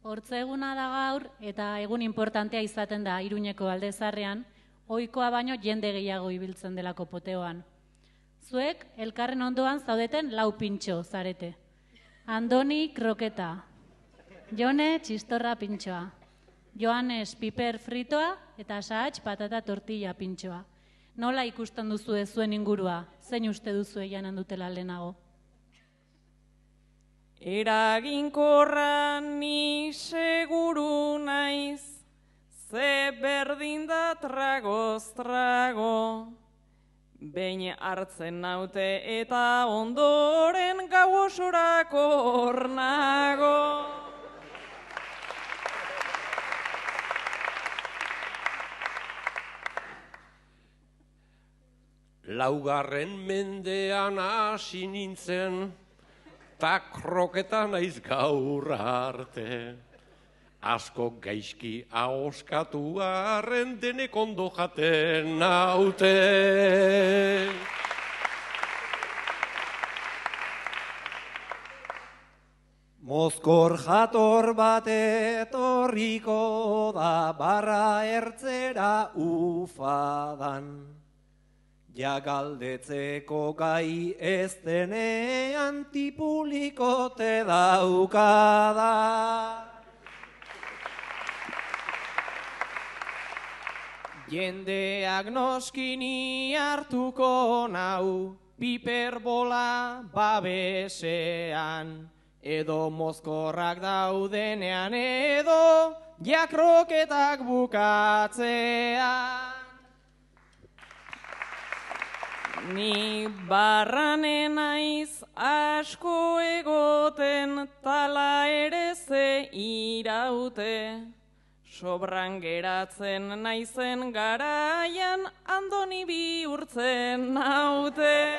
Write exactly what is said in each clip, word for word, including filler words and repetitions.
Hortze eguna da gaur eta egun importantea izaten da Iruñeko Alde Zaharrean, ohikoa baino jende gehiago ibiltzen delako poteoan. Zuek elkarren ondoan zaudeten lau pintxo zarete. Andoni kroketa, Jone txistorra pintxoa, Joanes piper fritoa eta Sahatz patata tortilla pintxoa. Nola ikusten duzu zuen ingurua, zein uste duzu janen dutela lehenago? Eraginkorra ni seguru naiz, ze berdin da tragoz trago. Behin hartzen naute eta ondoren gau osorako hor nago. Laugarren mendean hasi nintzen, ta kroketa naiz gaur arte. Asko gaizki ahoskatu arren denek ondo jaten naute. Mozkor jator bat etorriko da barra ertzera ufadan. Ja galdetzeko gai ez denean tipulikote daukada. Jendeak noskini hartuko nau, piperbola babesean, edo mozkorrak daudenean edo jakroketak bukatzean. Ni barranen naiz asko egoten, tala ere ze iraute. Sobran geratzen naizen garaian, Andoni bihurtzen naute.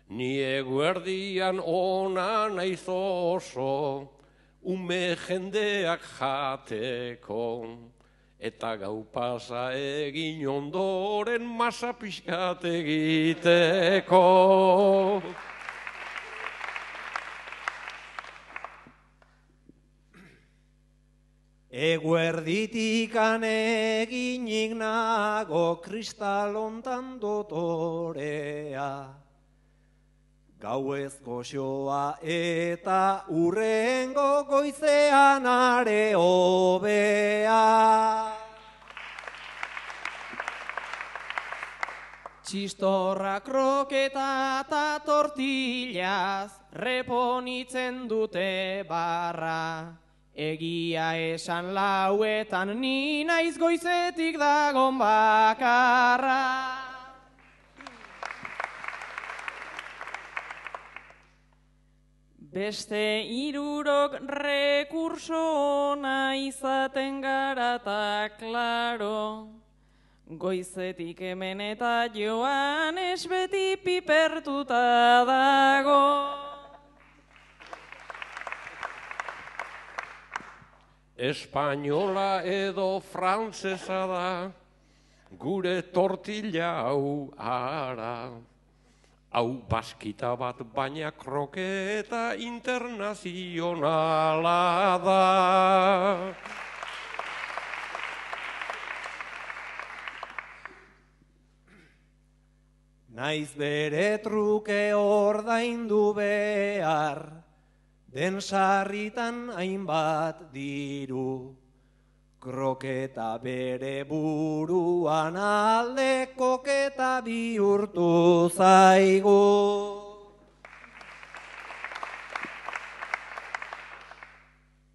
Ni eguerdian ona naiz oso, ume jendeak jateko. Eta gau pasa egin ondoren masa pixkat egiteko. Eguerditikan eginik nago kristalontan dotorea. Gauez goxoa eta urrengo goizean are hobea. Txistorra kroketa eta tortillaz reponitzen dute barra. Egia esan lauetan ni naiz goizetik dagon bakarra. Beste hirurok rekurso ona izaten gara eta klaro. Goizetik hemen eta Joanes beti pipertuta dago. Espainola edo frantzesa da, gure tortilla hau ara. Hau baskita bat baina kroketa internazionala da. Naiz bere truke ordaindu behar, den sarritan hainbat diru. Kroketa bere buruan alde koketa bihurtu zaigu.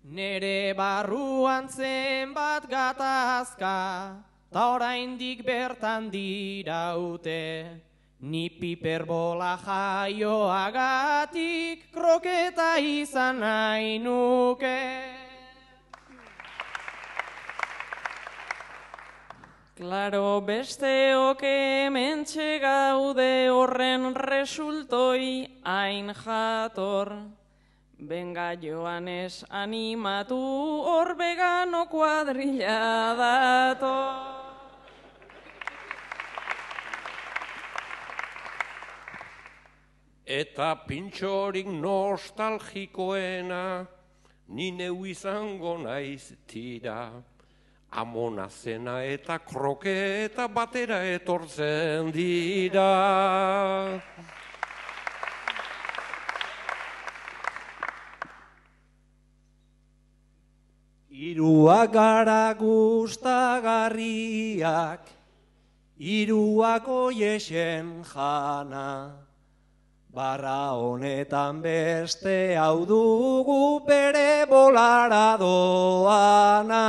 Nere barruan zenbat gatazka, ta oraindik bertan diraute. Ni piperbola jaioagatik kroketa izan nahi nuke. Klaro besteok hementxe gaude horren resultoi hain jator. Benga Joanes animatu hor vegano kuadrilla dator. Eta pintxorik nostalgikoena, ni neu izango naiz tira. Amona zena eta kroketa batera etortzen dira. Hiruak gara gustagarriak, hiruak oiexen jana. Barra honetan beste hau dugu bere bolara doana.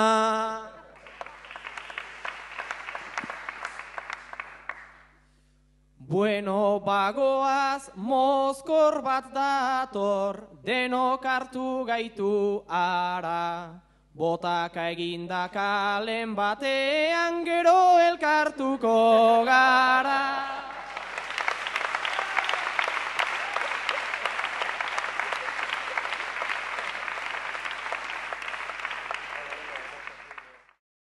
Bueno, bagoaz, mozkor bat dator, denok hartu gaitu ara. Botaka eginda kalen batean gero elkartuko gara.